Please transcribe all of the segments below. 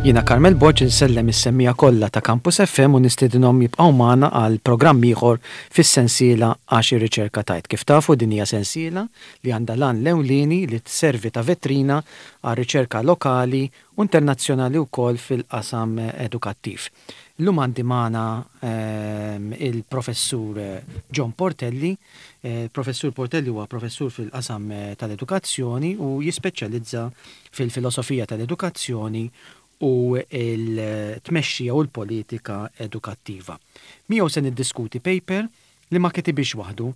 Jiena Carmel Borg insellem is-semmiegħa kollha ta' Campus FM u nistiedinhom jibqgħu magħna għal programm ieħor fis-sensiela Għax ir-Riċerka Tgħid. Kif tafu din hija sensiela li għandha l-għan l-ewlieni li tservi ta' vetrina għar-riċerka lokali u internazzjonali wkoll fil-qasam edukattiv. Illum għandi magħna il-Professur John Portelli. Il-Professur Portelli huwa professur fil-qasam tal-edukazzjoni u jispeċjalizza fil-filosofija tal-edukazzjoni u l-tmexxija u l-politika edukattiva. Miegħu se niddiskuti paper li ma kitibhiex waħdu.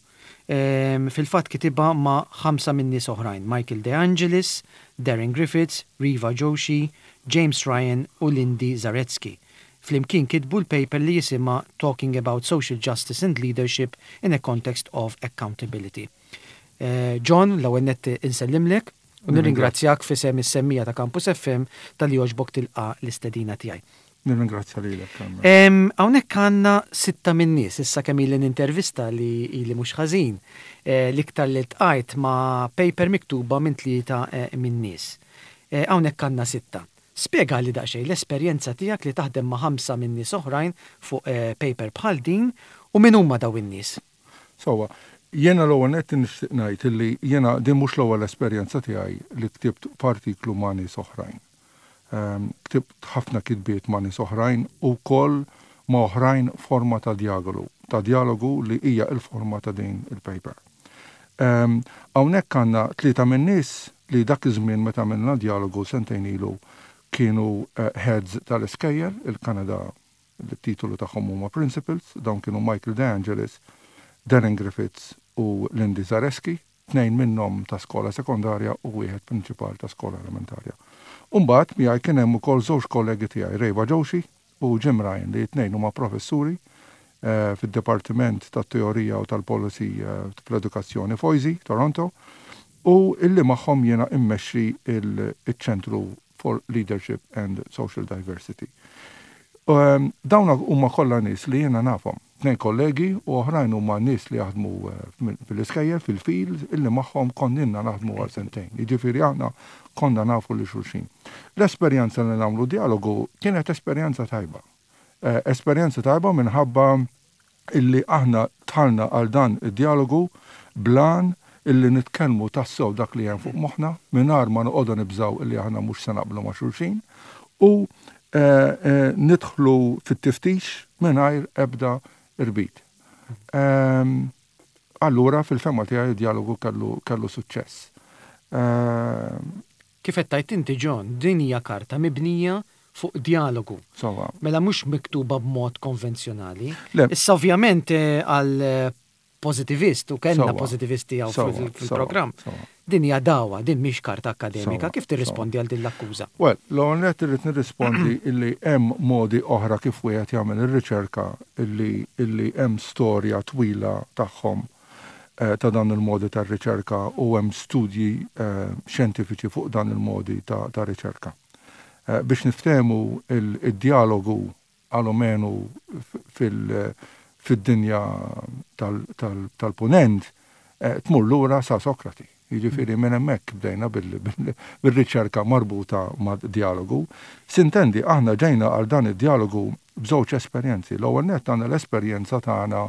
Fil-fatt kitibha ma' ħamsa minn nies oħrajn, Michael De Angelis, Darren Griffiths, Riva Joshi, James Ryan u Lindy Zaretsky. Flimkien kitbu l-paper li jisimha Talking about Social Justice and Leadership in a Context of Accountability. John, l-ewwel nett insellimlek u nirringrazzjak f'isem is-semmiegħa ta' Campus FM talli għoġbok tilqa' l-istedina tiegħi. Nirringrazzja lilek, Carmel. Hawnhekk għandna sitta min-nies, issa kemm ili nintervista li ili mhux ħażin, l-iktar li ltqajt ma' paper miktuba minn tlieta min-nies. Hawnhekk għandna sitta. Spjegali daqsxejn l-esperjenza tiegħek li taħdem ma' ħamsa min-nies oħrajn fuq paper bħal din u min huma dawn in-nies? Sewwa, jiena l-ewwel nett nixtieq ngħid illi jiena din mhux l-ewwel esperjenza tiegħi li ktibt f'artiklu ma' nies oħrajn. Ktibt ħafna kitbiet ma' nies oħrajn u wkoll ma' oħrajn forma ta' djagolu, ta' djalogu li hija l-forma ta' din il-paper. Hawnhekk għandna tlieta min-nies li dak iż-żmien meta għamilna djalogu sentejn ilu kienu heads tal-iskejjel, il-Kanada li t-titolu tagħhom huma principals, dawn kienu Michael De Angelis, Darren Griffiths u Lindy Zareski. tnejn minnhom ta' skola sekondarja u wieħed prinċipal ta' skola elementarja. U mbagħad miegħi kien hemm ukoll żewġ kollegi tiegħi, Reva Joshi u Jim Ryan li t-tnejn huma professuri fid-Dipartiment tat-Teorija u tal-Policy fl-Edukazzjoni f'OISY, Toronto, u illi magħhom jiena immexxi ċ-Ċentru for Leadership and Social Diversity. Dawn huma kollha nies li jiena nafhom. Tnejn kollegi u oħrajn huma nies li jaħdmu fil-iskejjel, fil-field, illi magħhom konna naħdmu għal sentejn. Jiġifieri aħna konna nafu lil xulxin. L-esperjenza li nagħmlu djalogu kienet esperjenza tajba. Esperjenza tajba minħabba illi aħna dħalna għal dan id-djalogu bl-għan illi nitkellmu tassew dak li hemm fuq moħħna mingħajr ma noqogħdu nibżgħu illi aħna mhux se naqblu ma' xulxin u nidħlu fit-tiftix mingħajr ebda irbit. Allura fil-fehma tiegħi d-djalogu kellu kellu suċċess. Kif qed tgħid inti John, din hija karta mibnija fuq djalogu. Sewwa. Mela mhux miktuba b'mod konvenzjonali. Le. Issa ovvjament għal pożitivist u kellna pożitivisti hawn fil-programm. Din hija dagħwa, din mhix karta akkademika. Kif tirrispondi għal din l-akkuża? Well, l-ewwel nett irrid nirrispondi illi hemm modi oħra kif wieħed jagħmel ir-riċerka illi illi hemm storja twila tagħhom ta' dan il-modi tar-riċerka u hemm studji xjentifiċi fuq dan il-modi ta' riċerka. Biex niftehmu id-djalogu alomenu fid-dinja tal-Punent tmur lura sa Sokrati. Jiġifieri minn hemmhekk bdejna bir-riċerka marbuta mad-djalogu. Sintendi aħna ġejna għal dan id-djalogu b'żewġ esperjenzi. L-ewwel nett għandna l-esperjenza tagħna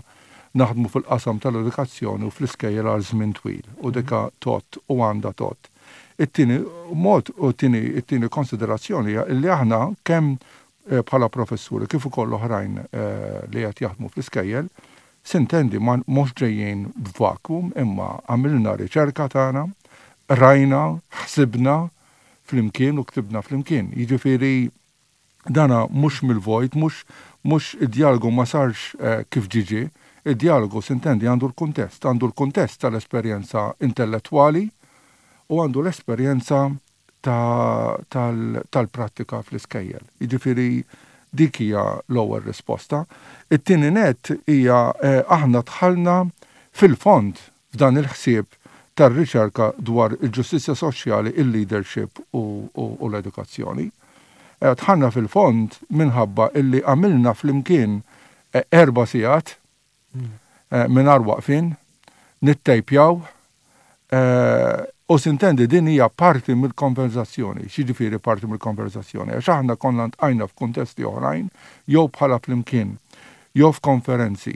naħdmu fil-qasam tal-edukazzjoni u fl-iskejjel għal żmien twil u dika tgħodd u għandha tgħodd. It-tieni mod u t-tieni konsiderazzjoni hija li aħna kemm bħala professuri kif ukoll oħrajn li qed jaħdmu fl-iskejjel, sintendi ma mhux ġejjin b'vacuum imma għamilna riċerka tagħna, qrajna, ħsibna flimkien u ktibna flimkien. Jiġifieri dana mhux mill-vojt, mhux mhux id-djalogu ma sarx kif ġie ġie, id-djalogu sintendi għandu l-kuntest, għandu l-kuntest tal-esperjenza intellettwali u għandu l-esperjenza tal-prattika fl-iskejjel. Jiġifieri dik hija l-ewwel risposta. It-tieni nett hija aħna dħalna fil-fond f'dan il-ħsieb tar-riċerka dwar il-ġustizzja soċjali, il-leadership u l-edukazzjoni. Dħalna fil-fond minħabba illi għamilna flimkien erba' sigħat mingħajr waqfien, nittejpjaw. U sintendi din hija parti mill-konverżazzjoni. X'jiġifieri parti mill-konverżazzjoni? Għax aħna konna ltqajna f'kuntesti oħrajn jew bħala flimkien, jew f'konferenzi,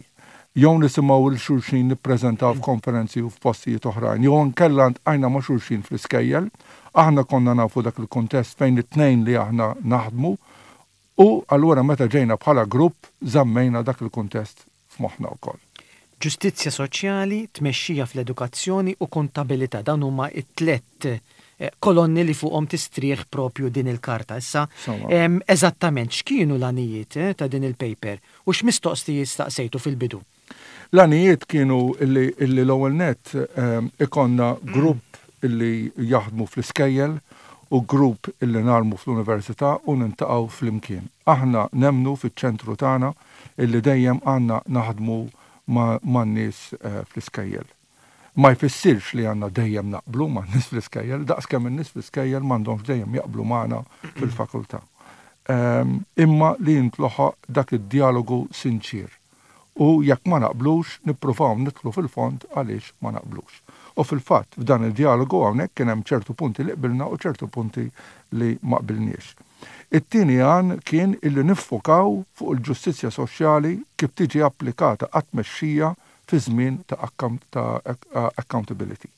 jew nisimgħu 'l xulxin nippreżentaw f'konferenzi u f'postijiet oħrajn, jew inkella ltqajna ma' xulxin fl-iskejjel. Aħna konna nafu dak il-kuntest fejn it-tnejn li aħna naħdmu U allura meta ġejna bħala grupp żammejna dak il-kuntest f'moħħna wkoll. Ġustizzja soċjali, tmexxija fl-edukazzjoni u kontabilità, dawn huma t-tlett kolonni li fuqhom tistrieħ propju din il-karta. Issa, eżattament x'kienu l-għanijiet ta' din il-paper u x'mistoqsijiet staqsejtu fil-bidu? L-għanijiet kienu illi l-ewwel nett ikollna grupp illi jaħdmu fl-iskejjel u grupp illi ngħallmu fl-università u niltaqgħu flimkien. Aħna nemmnu fiċ-ċentru tagħna illi dejjem għandna naħdmu man-nies fl-iskejjel. Ma jfissirx li għandna dejjem naqblu man-nies fl-iskejjel, daqskemm in-nies fl-iskejjel m'għandhomx dejjem jaqblu magħna fil-fakultà. Imma li jintloħaq dak id-djalogu sinċier. U jekk ma naqblux, nippruvaw nidħlu fil-fond għaliex ma naqblux. U fil-fatt, f'dan id-djalogu hawnhekk kien hemm ċertu punti li qbilna u ċertu punti li ma qbilniex. It-tieni għan kien illi niffokaw fuq il-ġustizzja soċjali kif tiġi applikata għat-tmexxija fi żmien ta' accountability.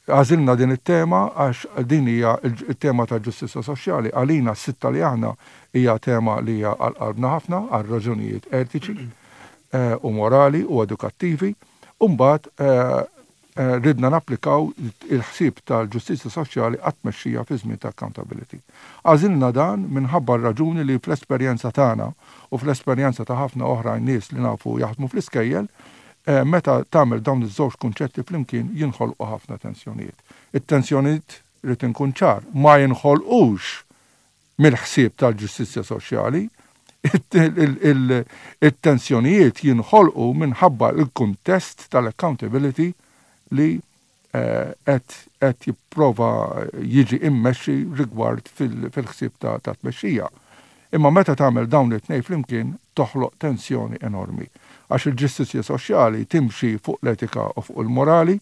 Għażilna din it-tema għax din hija t-tema tal-ġustizzja soċjali għalina s-sitta li aħna hija tema li hija għal qalbna ħafna għal raġunijiet etiċi u morali u edukattivi. U mbagħad ridna napplikaw il-ħsieb tal-ġustizzja soċjali għat-tmexxija fi żmien ta' accountability. Għażilna dan minħabba r-raġuni li fl-esperjenza tagħna u fl-esperjenza ta' ħafna oħrajn nies li nafu jaħdmu fl-iskejjel, meta tagħmel dawn iż-żewġ kunċetti flimkien jinħolqu ħafna tensjonijiet. It-tensjonijiet, rrid inkun ċar, ma jinħolqux mill-ħsieb tal-ġustizzja soċjali, it-tensjonijiet jinħolqu minħabba l-kuntest tal-accountability li qed jipprova jiġi immexxi rigward fil-ħsieb ta' tmexxija. Imma meta tagħmel dawn it-tnejn flimkien toħloq tensjoni enormi. Għax il-ġustizzja soċjali timxi fuq l-etika u fuq il-morali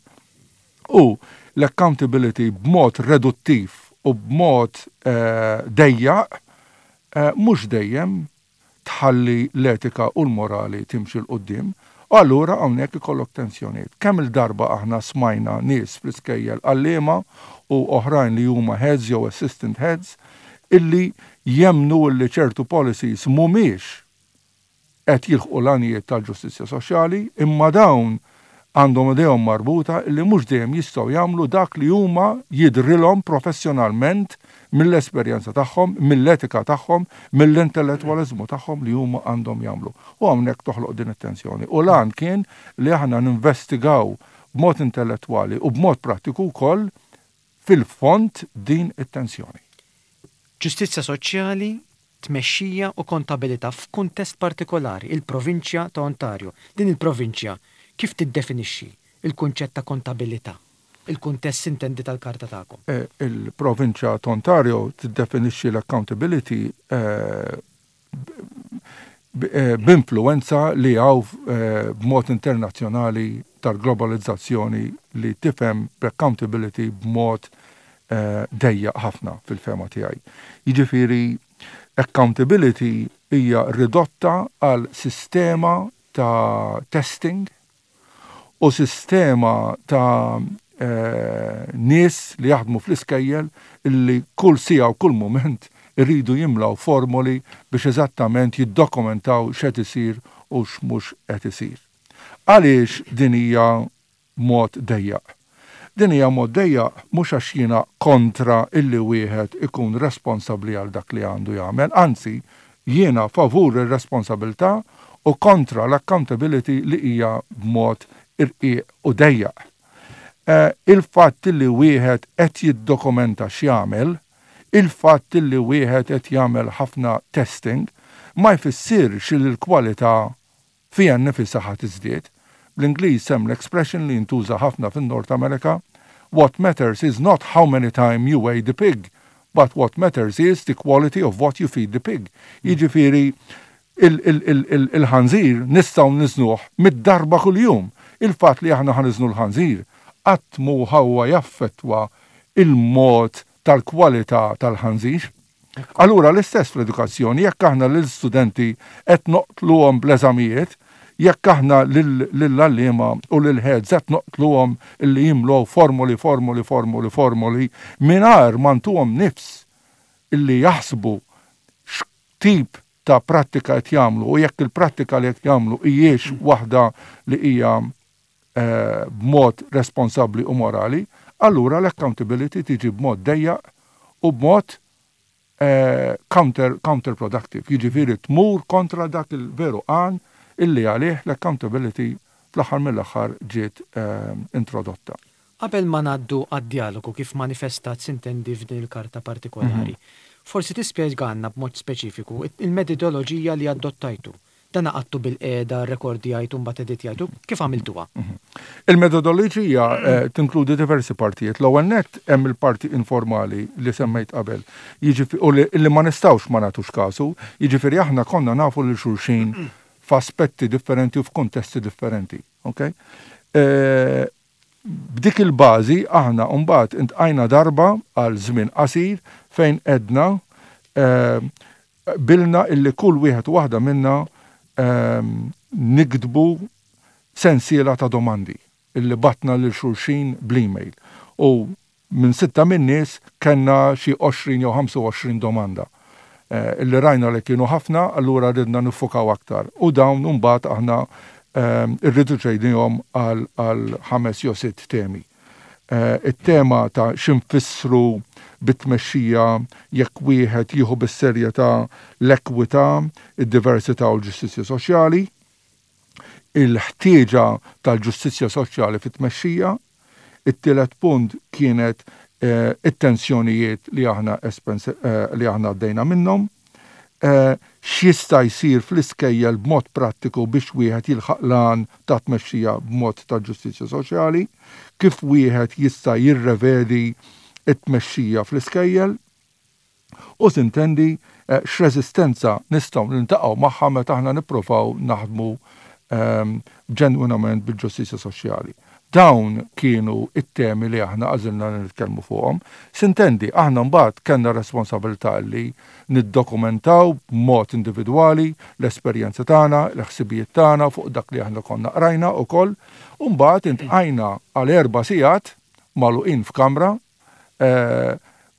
u l-accountability b'mod reduttiv u b'mod dejjaq mhux dejjem tħalli l-etika u l-morali timxi 'l quddiem, u allura hawnhekk ikollok tensjonijiet. Kemm-il darba aħna smajna nies fl-iskejjel għalliema u oħrajn li huma heads jew assistant heads illi jemmnu illi ċertu policies mhumiex qed jilħqu l-għanijiet tal-ġustizzja soċjali, imma dawn għandhom idejhom marbuta li mhux dejjem jistgħu jagħmlu dak li huma jidhrilhom professjonalment mill-esperjenza tagħhom, mill-etika tagħhom, mill-intellettwaliżmu tagħhom li huma għandhom jagħmlu. U hawnhekk toħloq din it-tensjoni. U l-għan kien li aħna ninvestigaw b'mod intellettwali u b'mod prattiku wkoll fil-fond din it-tensjoni. Ġustizzja soċjali, tmexxija u kontabilità f'kuntest partikolari, il-provinċja ta' Ontario. Din il-provinċja kif tiddefinixxi l-kunċett ta' kontabilità? Il-kuntest sintendi tal-karta tagħkom. Il-provinċja ta' Ontario tiddefinixxi l-accountability b'influwenza li hawn b'mod internazzjonali tal-globalizzazzjoni li tifhem b'accountability b'mod dejjaq ħafna fil-fehma tiegħi. Jiġifieri accountability hija ridotta għal sistema ta' testing u sistema ta' nies li jaħdmu fl-iskejjel illi kull siegħa u kull mument iridu jimlaw formoli biex eżattament jiddokumentaw x'qed isir u x'mhux qed isir. Għaliex din hija mod dejjaq? Din hija mod dejjaq mhux għax jiena kontra illi wieħed ikun responsabbli għal dak li għandu jagħmel, anzi jiena favur ir-responsabilità u kontra l-accountability li hija b'mod irqiq u dejjaq. Il-fatt illi wieħed qed jiddokumenta x'jagħmel, il-fatt illi wieħed qed jagħmel ħafna testing, ma jfissirx li l-kwalità fiha nnifisha ħa tiżdied. Bl-Ingliż hemm l-expression li jintuża ħafna fin-Nord Amerika, What matters is not how many time you weigh the pig, but what matters is the quality of what you feed the pig. Jiġifieri il-ħanżir nistgħu niżnuh mid-darba kuljum. Il-fatt li aħna ħa niżnu l-ħanżir qatt mhu huwa jaffettwa il-mod tal-kwalità tal-ħanżir. Allura l-istess fl-edukazzjoni, jekk aħna lill-studenti qed noqtluhom bl-eżamijiet, jekk aħna lill-għalliema u lill-heads qed noqtluhom illi jimlew formoli, formoli, formoli, formoli, mingħajr ma ntuhom nifs illi jaħsbu x'tip ta' prattika qed jagħmlu u jekk il-prattika li qed jagħmlu hijiex waħda li hija b'mod responsabbli u morali, allura l-accountability tiġi b'mod dejjaq u b'mod counter counterproductive, jiġifieri tmur kontra dak il-veru għan illi għalih l-accountability fl-aħħar mill-aħħar ġiet introdotta. Qabel ma ngħaddu għad-djalogu kif manifestat sintendi f'din il-karta partikolari, forsi tispjegalna b'mod speċifiku il-metodoloġija li adottajtu. Dan għaqadtu bilqiegħda, rrekordjajtu mbagħad editjajtu, kif għamiltuha? Il-metodoloġija tinkludi diversi partijiet. L-ewwel nett hemm il-parti informali li semmejt qabel, jiġifieri u li ma nistgħux ma nagħtux kasu, jiġifieri aħna konna nafu lil xulxin f'aspetti differenti u f'kuntesti differenti. Okay? B'dik il-bażi aħna mbagħad intqajna darba għal żmien qasir fejn għedna qbilna illi kull wieħed u waħda minna niktbu sensiela ta' domandi illi batna lil xulxin bl-email. U minn sitta min-nies kellna xi 20 jew 25 domanda illi rajna li kienu ħafna, allura ridna niffukaw aktar. U dawn imbagħad aħna rriduċejnihom għal ħames jew sitt temi. It-tema ta' x'infissru bit-tmexxija jekk wieħed jieħu bis-serjetà l-ekwità, id-diversità u l-ġustizzja soċjali, il-ħtieġa tal-ġustizzja soċjali fit-tmexxija. It-tielet punt kienet it-tensjonijiet li aħna li aħna għaddejna minnhom. X'jista' jsir fl-iskejjel b'mod prattiku biex wieħed jilħaq l-għan ta' tmexxija b'mod ta' ġustizzja soċjali, kif wieħed jista' jirrevedi t-tmexxija fl-iskejjel u tintendi x'reżistenza nistgħu niltaqgħu magħha meta aħna nippruvaw naħdmu ġenwinament bil-ġustizzja soċjali. Dawn kienu t-temi li aħna għażilna li nitkellmu fuqhom. Sintendi, aħna mbagħad kellna r-responsabilità li niddokumentaw b'mod individwali l-esperjenza tagħna, l-ħsibijiet tagħna fuq dak li aħna konna qrajna wkoll, u mbagħad intqajna għal erba' sigħat magħluqin f'kamra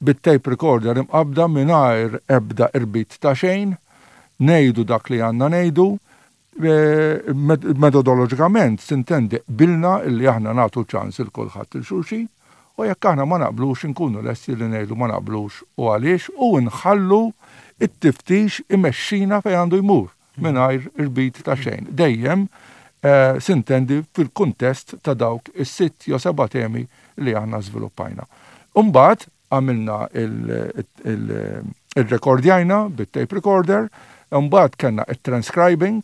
bit-tape recorder imqabbda mingħajr ebda irbit ta' xejn, ngħidu dak li għandna ngħidu, Metodoloġikament sintendi qbilna illi aħna nagħtu ċans il kulħadd il xulxin u jekk aħna ma naqblux inkunu lesti li ngħidu ma naqblux u għaliex u nħallu it-tiftix imexxina fejn għandu jmur mingħajr irbit ta' xejn. Dejjem sintendi fil-kuntest ta' dawk is-sitt jew seba' temi li aħna żviluppajna. Imbagħad għamilna il-rekordjajna bit-tape recorder, imbagħad kellna it-transcribing,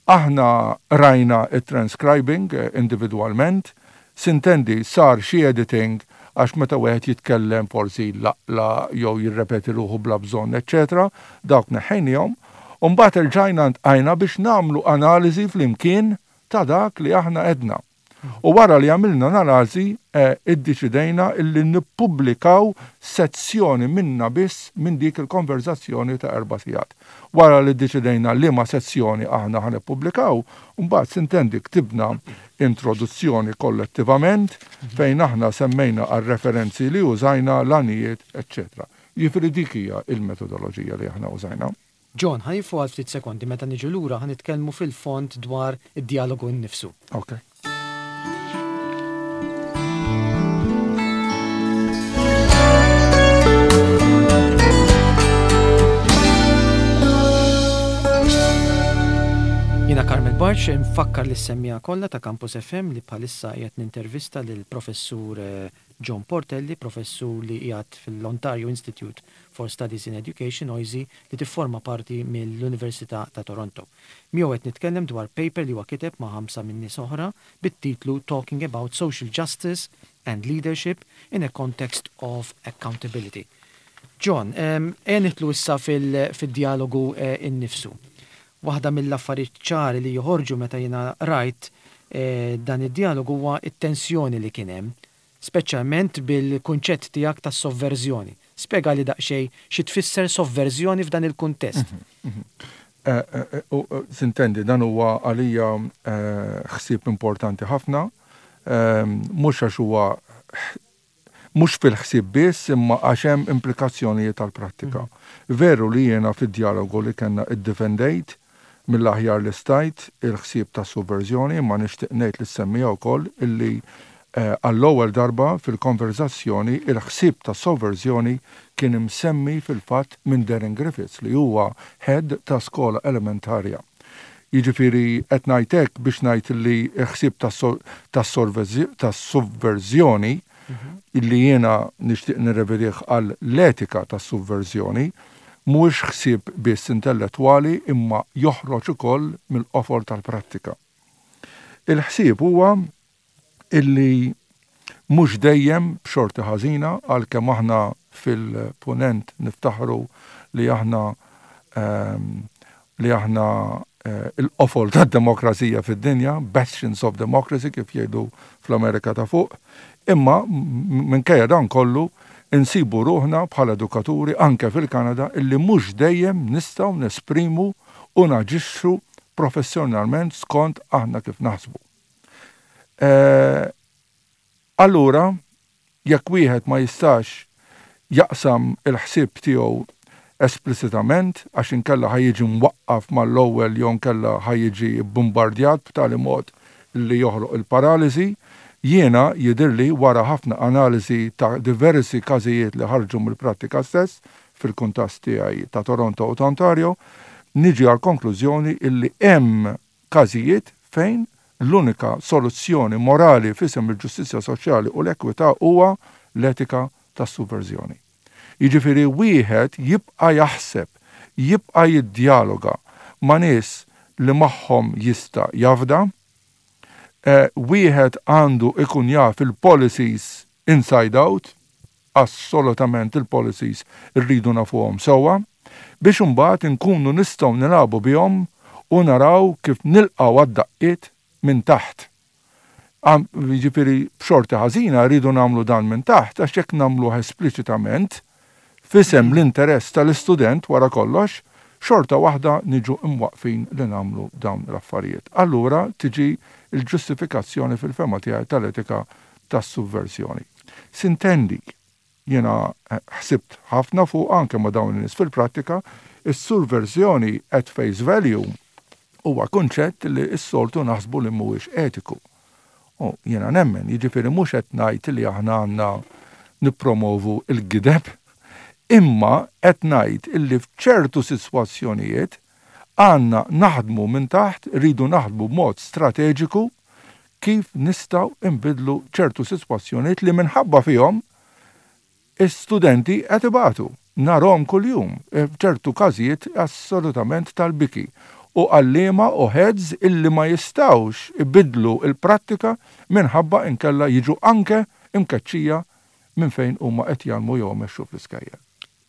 aħna rajna it-transcribing individwalment, sintendi sar xi editing għax meta wieħed jitkellem forsi laqla jew jirrepeti ruħu bla bżonn, eċċetera, dawk neħħejniehom, u mbagħad erġajna ntqajna biex nagħmlu analiżi flimkien ta' dak li aħna għedna. U wara li għamilna analiżi, iddeċidejna illi nippubblikaw sezzjoni minna biss minn dik il-konverżazzjoni ta' erba' sigħat. Wara li ddeċidejna liema sezzjoni aħna ħa nippubblikaw, mbagħad sintendi ktibna introduzzjoni kollettivament fejn aħna semmejna għar-referenzi li użajna, l-għanijiet, eċċetera. Jiġifieri dik hija l-metodoloġija li aħna użajna. John, ħa nieqfu għal ftit sekondi, meta niġu lura ħa nitkellmu fil-fond dwar id-djalogu nnifsu. Ok. Jiena Carmel Bartsch, infakkar lis-semmiegħa kollha ta' Campus FM li bħalissa qiegħed nintervista lill-Professur John Portelli, professur li qiegħed fil-Ontario Institute for Studies in Education, OISE, li tifforma parti mill-Università ta' Toronto. Miegħu qed nitkellem dwar paper li huwa kiteb ma' ħamsa minn nies oħra bit-titlu Talking about Social Justice and Leadership in a Context of Accountability. John, ejja nidħlu issa fid-djalogu innifsu. Waħda mill-affarijiet ċari li joħorġu meta jiena qrajt dan id-djalogu huwa t-tensjoni li kien hemm, speċjalment bil-kunċett tiegħek tas-sovverżjoni. Spjegali daqsxejn xi tfisser sovverżjoni f'dan il-kuntest. Sintendi, dan huwa għalija ħsieb importanti ħafna, mhux għax huwa mhux fil-ħsieb biss imma għax hemm implikazzjonijiet għall-prattika. Veru li jiena fid-djalogu li kellna iddefendejt mill-aħjar li stajt il-ħsieb tas-sovverżjoni imma nixtieq ngħid lis-semmiegħa wkoll illi għall-ewwel darba fil-konverżazzjoni il-ħsieb tas-sovverżjoni kien imsemmi fil-fatt minn Darren Griffiths li huwa head ta' skola elementarja. Jiġifieri qed ngħid hekk biex ngħid li l-ħsieb tas-sovverżjoni li jiena nixtieq nirrevedih għal l-etika tas-sovverżjoni mhuwiex ħsieb biss intellettwali imma joħroġ ukoll mill-qofol tal-prattika. Il-ħsieb huwa illi mhux dejjem b'xorti ħażina għalkemm aħna fil-Punent niftaħru li aħna ehm, li aħna eh, il-qofol tad-demokrazija fid-dinja, bastions of democracy kif jgħidu fl-Amerika ta' fuq, imma minkejja dan kollu insibu ruħna bħala edukaturi anke fil-Kanada illi mhux dejjem nistgħu nesprimu u naġixxu professjonalment skont aħna kif naħsbu. Eh, allura, jekk wieħed ma jistax jaqsam il-ħsieb tiegħu esplicitament għax inkella ħa jiġi mwaqqaf mal-ewwel jew inkella ħa jiġi bbumbardjat b'tali mod li joħloq il-paraliżi, jiena jidhirli wara ħafna analiżi ta' diversi każijiet li ħarġu mill-prattika stess fil-kuntast tiegħi ta' Toronto u ta' Ontario, niġi għall-konklużjoni illi hemm każijiet fejn l-unika soluzzjoni morali f'isem il-ġustizzja soċjali u l-ekwità huwa l-etika tas-suvverżjoni. Jiġifieri wieħed jibqa' jaħseb, jibqa' jiddjaloga ma' nies li magħhom jista' jafda, wieħed għandu ikun jaf il-policies inside out, assolutament il-policies irridu nafuhom sewwa, biex imbagħad inkunu nistgħu nilagħbu bihom u naraw kif nilqgħu għad-daqqiet minn taħt. Jiġifieri b'xorti ħażina rridu nagħmlu dan minn taħt għax jekk nagħmluh espliċitament, f'isem l-interess tal-istudent wara kollox, xorta waħda niġu mwaqqfin li nagħmlu dawn l-affarijiet. Allura tiġi l-ġustifikazzjoni fil-fehma tiegħi tal-etika tas-suvversjoni. Sintendi, jiena ħsibt ħafna fuqha anke ma' dawn in-nies fil-prattika, is-surversjoni at face value huwa kunċett li s-soltu naħsbu li mhuwiex etiku. U jiena nemmen, jiġifieri mhux qed ngħid li aħna għandna nippromovu l-gideb, imma qed ngħid illi f'ċertu sitwazzjonijiet għandna naħdmu minn taħt, rridu naħdmu b'mod strateġiku kif nistgħu nbiddlu ċertu sitwazzjonijiet li minħabba fihom is-studenti qed ibatu. Narhom kuljum, f'ċertu każijiet assolutament tal-biki, u għalliema u heads illi ma jistgħux ibiddlu l-prattika minħabba inkella jiġu anke imkeċċija minn fejn huma qed jgħallmu jew imexxu fl-iskejjel.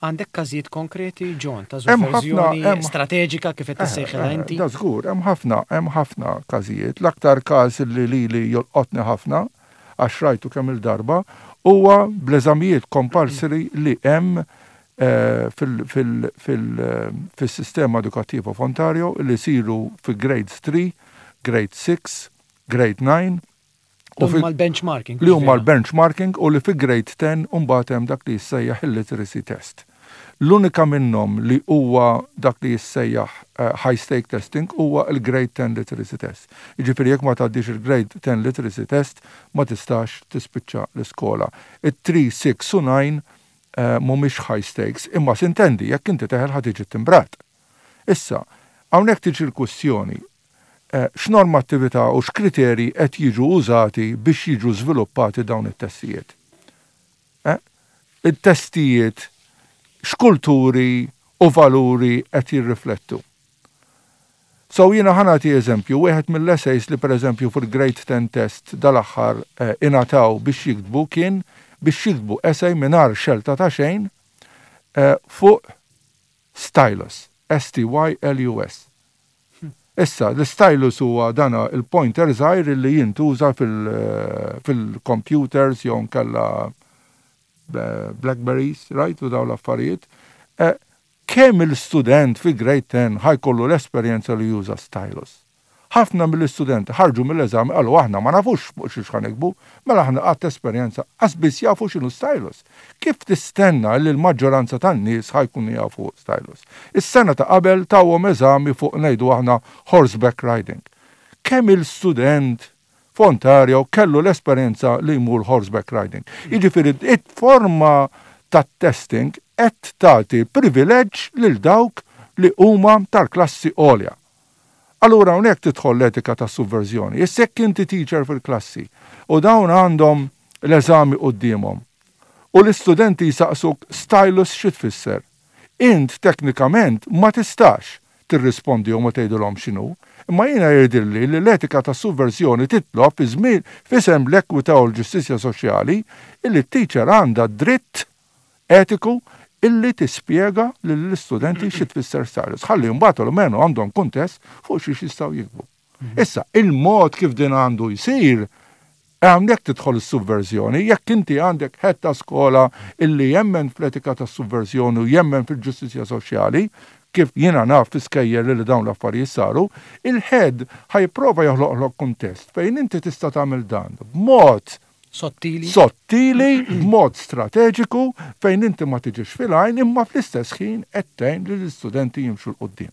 Għandek każijiet konkreti, John, ta' sovverżjoni strateġika kif qed tissejħilha inti? Da żgur, hemm ħafna, hemm ħafna każijiet. L-aktar każ li lili jolqotni ħafna, għax rajtu kemm-il darba, huwa bl-eżamijiet compulsory li hemm fis-sistema edukattiva f'Ontario li jsiru fi grades 3, grade 6, grade 9, U huma l-benchmarking. Li huma l-benchmarking u li fi grade 10 mbagħad hemm dak li jissejjaħ il-literacy test. L-unika minnhom li huwa dak li jissejjaħ eh, high stake testing huwa il-grade 10 literacy test. Jiġifieri jekk ma tgħaddix il-grade 10 literacy test ma tistax tispiċċa l-iskola. It-3, 6 u 9 eh, mhumiex high stakes, imma sintendi jekk inti teħel ħa tiġi timbrat. Issa, hawnhekk tiġi l-kwistjoni x'normattività u x'kriterji qed jiġu użati biex jiġu żviluppati dawn it-testijiet. Eh? It-testijiet x'kulturi u valuri qed jirriflettu. So jiena ħa nagħti eżempju, wieħed mill-essays li pereżempju fil-Grade 10 test dal-aħħar eh, ingħataw biex jiktbu kien biex jiktbu essay mingħajr xelta ta' xejn eh, fuq stylus, S-T-Y-L-U-S. Issa, l-stylus huwa dana il-pointer żgħir li jintuża fil-computers jew nkella Blackberries, right, u dawn l-affarijiet. Kemm il-student fi grade 10 ħa jkollu l-esperjenza li juża stylus? Ħafna mill-istudenti ħarġu mill-eżami qalu aħna ma nafux fuq xiex ħa niktbu, mela aħna qatt esperjenza qas biss jafu x'inhu stylus. Kif tistenna li l-maġġoranza tan-nies ħa jkunu jafu stylus? Is-sena ta' qabel tawhom eżami fuq ngħidu aħna horseback riding. Kemm-il student f'Ontario kellu l-esperjenza li jmur horseback riding? Jiġifieri it-forma tat-testing qed tagħti privileġġ lil dawk li huma tal-klassi għolja. Allura hawnhekk tidħol l-etika tas-suvverżjoni. Issa jekk inti teacher fil-klassi u dawn għandhom l-eżami quddiemhom u l-istudenti jsaqsuk stylus xi tfisser, int teknikament ma tistax tirrispondihom u tgħidilhom x'inhu. Imma jiena jidhirli li l-etika tas-suvverżjoni titlob fi żmien f'isem l-ekwità u l-ġustizzja soċjali illi t-teacher għandha d-dritt etiku illi tispjega lill-istudenti xi tfisser stylus, ħalli mbagħad almenu għandhom kuntest fuq xiex jistgħu jiktbu. Issa, il-mod kif din għandu jsir, hawnhekk tidħol is-suvverżjoni, jekk inti għandek head ta' skola illi jemmen fl-etika tas-suvverżjoni u jemmen fil-ġustizzja soċjali, kif jiena naf fi skejjel li dawn l-affarijiet saru, il-head ħa jipprova joħloqlok kuntest fejn inti tista' tagħmel dan b'mod Sottili. Sottili, b'mod strateġiku fejn inti ma tiġix fil-għajn imma fl-istess ħin qed tgħin lill-istudenti jimxu 'l quddiem.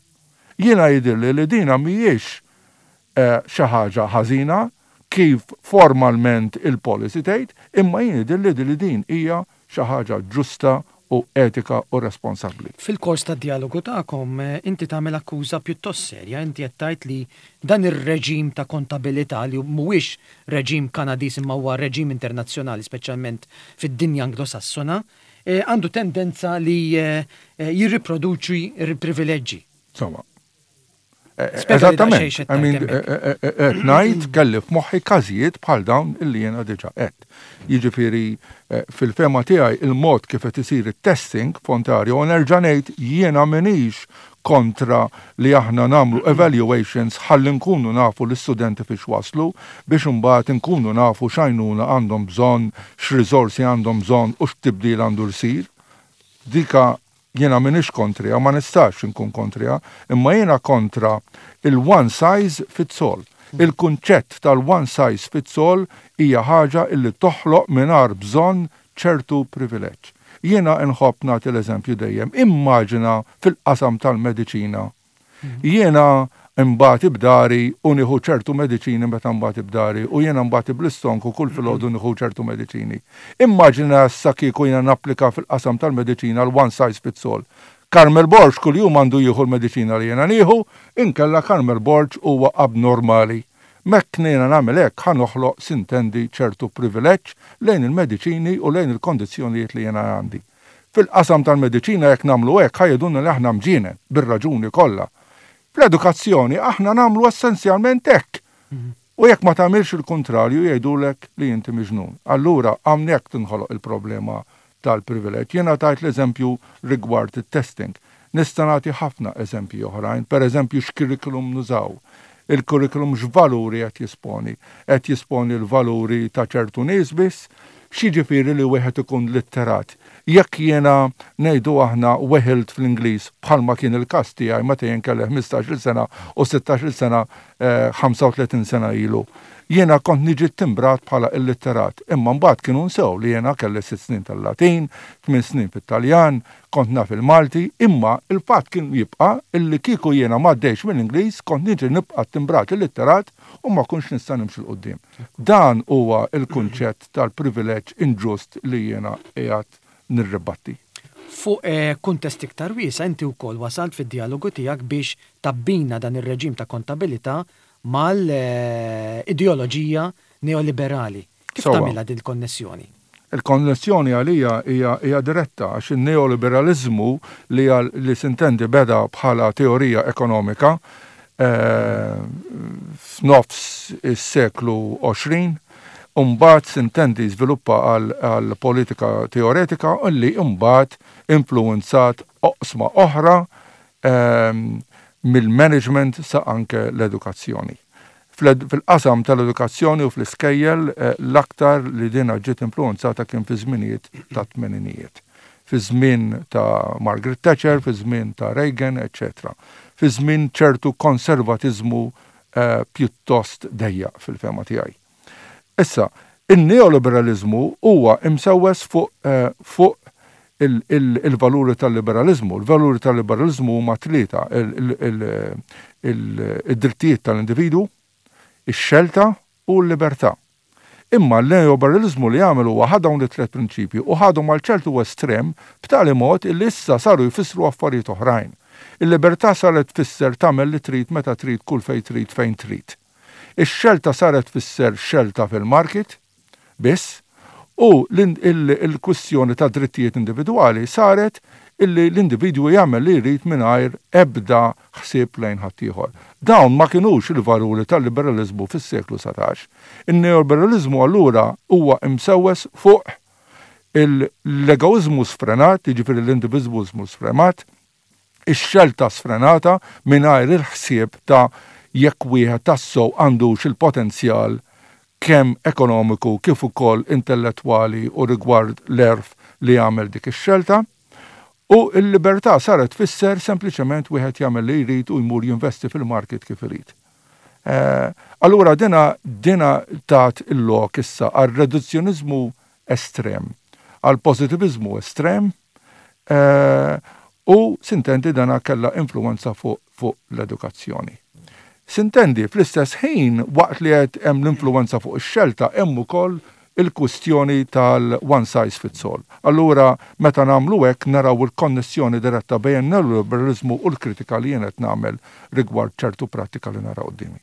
Jiena jidhirli li dina mhijiex xi ħaġa ħażina kif formalment il-policy tgħid, imma jien jidhirli li din hija xi ħaġa ġusta u etika u responsabbli. Fil-kors tad-djalogu tagħkom inti tagħmel akkuża pjuttost serja, inti qed tgħid li dan ir-reġim ta' kontabilità li mhuwiex reġim Kanadiż imma huwa reġim internazzjonali speċjalment fid-dinja Anglosassona, għandu tendenza li jirriproduċi l-privileġġi. Sewwa. Eżattament. I mean, qed ngħid kelli f'moħħi każijiet bħal dawn illi jiena diġà għedt. Jiġifieri fil-fehma tiegħi il-mod kif qed isir it-testing f'Ontario u nerġa' ngħid jiena m'iniex kontra li aħna nagħmlu evaluations ħalli nkunu nafu l-istudenti fiex waslu biex imbagħad inkunu nafu x'għajnuna għandhom bżonn, x'riżorsi għandhom bżonn u x'tibdil għandu jsir. Dika Jiena m'iniex kontriha, ma nistax inkun kontriha, imma jiena kontra il-one size fits all. Il-kunċett tal-one size fits all hija ħaġa illi toħloq mingħajr bżonn ċertu privileġġ. Jiena nħobb nagħti l-eżempju dejjem, immaġina fil-qasam tal-mediċina Jiena nbati b'dari u nieħu ċertu mediċini meta nbati b'dari u jiena nbati bl-istonku kull filgħodu nieħu ċertu mediċini. Immaġina issa kieku jiena napplika fil-qasam tal-mediċina l-one size fits all. Carmel Borg kuljum għandu jieħu l-mediċina li jiena nieħu, inkella Carmel Borg huwa abnormali. Mekk jiena nagħmel hekk ħa noħloq sintendi ċertu privileġġ lejn il-mediċini u lejn il-kondizzjonijiet li jiena għandi. Fil-qasam tal-mediċina jekk nagħmlu hekk ħa jgħidulna li aħna mġienen, bir-raġuni kollha. Fl-edukazzjoni aħna nagħmlu essenzjalment hekk. U jekk ma tagħmilx il-kuntrarju jgħidulek li inti miġnun. Allura hawnhekk tinħoloq il-problema tal-privileġġ. Jiena tajt l-eżempju rigward it-testing. Nista' nagħti ħafna eżempji oħrajn, pereżempju x'curriculum nużaw. Il-curriculum x'valuri qed jisponi? Qed jisponi l-valuri ta' ċertu nies biss? X'jiġifieri li wieħed ikun litterat? Jekk jiena, ngħidu aħna, weħilt fl-Ingliż, bħalma kien il-każ tiegħi meta jien kelli ħmistax-il sena u sittax-il sena 35 sena ilu, jiena kont niġi ttimbrat bħala illitterat. Imma mbagħad kienu nsew li jiena kelli sitt snin tal-Latin, tmien snin fit-Taljan, kont naf il-Malti, imma l-fatt kien jibqa' illi kieku jiena m'għaddejtx mill-Ingliż kont niġi nibqa' ttimbrat illitterat u ma kontx nista' nimxi 'l quddiem. Dan huwa l-kunċett tal-privileġġ inġust li jiena qiegħed nirribatti. Fuq kuntest iktar wiesa' inti wkoll wasalt fid-djalogu tiegħek biex tabbina dan ir-reġim ta' kontabilità mal-ideoloġija neoliberali. Kif tagħmilha din il-konnessjoni? Il-konnessjoni għalija hija hija diretta għax in-neoliberaliżmu li għal li sintendi beda bħala teorija ekonomika f'nofs is-seklu 20 u mbagħad sintendi żviluppa għal għal politika teoretika li mbagħad influwenzat oqsma oħra. mill-management sa anke l-edukazzjoni. Fil-qasam tal-edukazzjoni u fl-iskejjel l-aktar li dina ġiet influwenzata kien fi żminijiet tat-tmeninijiet. Fi żmien ta' Margaret Thatcher, fi żmien ta' Reagan, eċċetera. Fi żmien ċertu konservatiżmu pjuttost dejjaq fil-fehma tiegħi. Issa, in-neoliberaliżmu huwa imsewwes fuq fuq il-valuri tal-liberaliżmu. Il-valuri tal-liberaliżmu huma tlieta, id-drittijiet tal-individwu, ix-xelta u l-libertà. Imma l-neoliberaliżmu li għamel huwa ħa dawn it-tliet prinċipji u ħadhom għal ċertu estrem b'tali mod illi issa saru jfissru affarijiet oħrajn. Il-libertà saret tfisser tagħmel li trid meta trid kull fejn trid fejn trid. Ix-xelta saret tfisser xelta fil-market biss u l-kwistjoni tad-drittijiet individwali saret illi l-individwu jagħmel li jrid mingħajr ebda ħsieb lejn ħaddieħor. Dawn ma kinux il-valuri tal-liberaliżmu fis-seklu 19. In-neoliberaliżmu allura huwa imsewwes fuq l-egoiżmu sfrenat, jiġifieri l-individwiżmu sfremat, ix-xelta sfrenata mingħajr il-ħsieb ta' jekk wieħed tassew għandux il-potenzjal kemm ekonomiku kif ukoll intellettwali u rigward l-għerf li jagħmel dik ix-xelta. U l-libertà saret tfisser sempliċement wieħed jagħmel li jrid u jmur jinvesti fil-market kif irid. Allura dina dina tat il-lok issa għal reduzzjoniżmu estrem, għal pożitiviżmu estrem, U sintendi dana kellha influwenza fuq fuq l-edukazzjoni. Sintendi, fl-istess ħin, waqt li qed hemm l-influwenza fuq ix-xelta hemm ukoll il-kwistjoni tal-one size fits all. Allura meta nagħmlu hekk naraw il-konnessjoni diretta bejn in-neoliberaliżmu u l-kritika li jien qed nagħmel rigward ċertu prattika li nara quddiemi.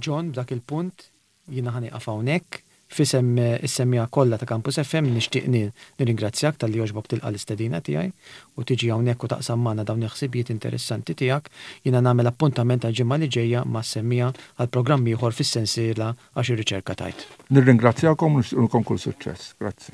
John, b'dak il-punt Jiena ħa nieqaf hawnhekk. F'isem is-semmiegħa kollha ta' Campus FM nixtieq nirringrazzjak talli għoġbok tilqa' l-istedina tiegħi u tiġi hawnhekk u taqsam magħna dawn il-ħsibijiet interessanti tiegħek. Jiena nagħmel appuntament għall-ġimgħa li ġejja mas-semmiegħa għal programm ieħor fis-sensiela Għax ir-Riċerka Tgħid. Nirringrazzjakom u nixtieqlkom kull suċċess. Grazzi.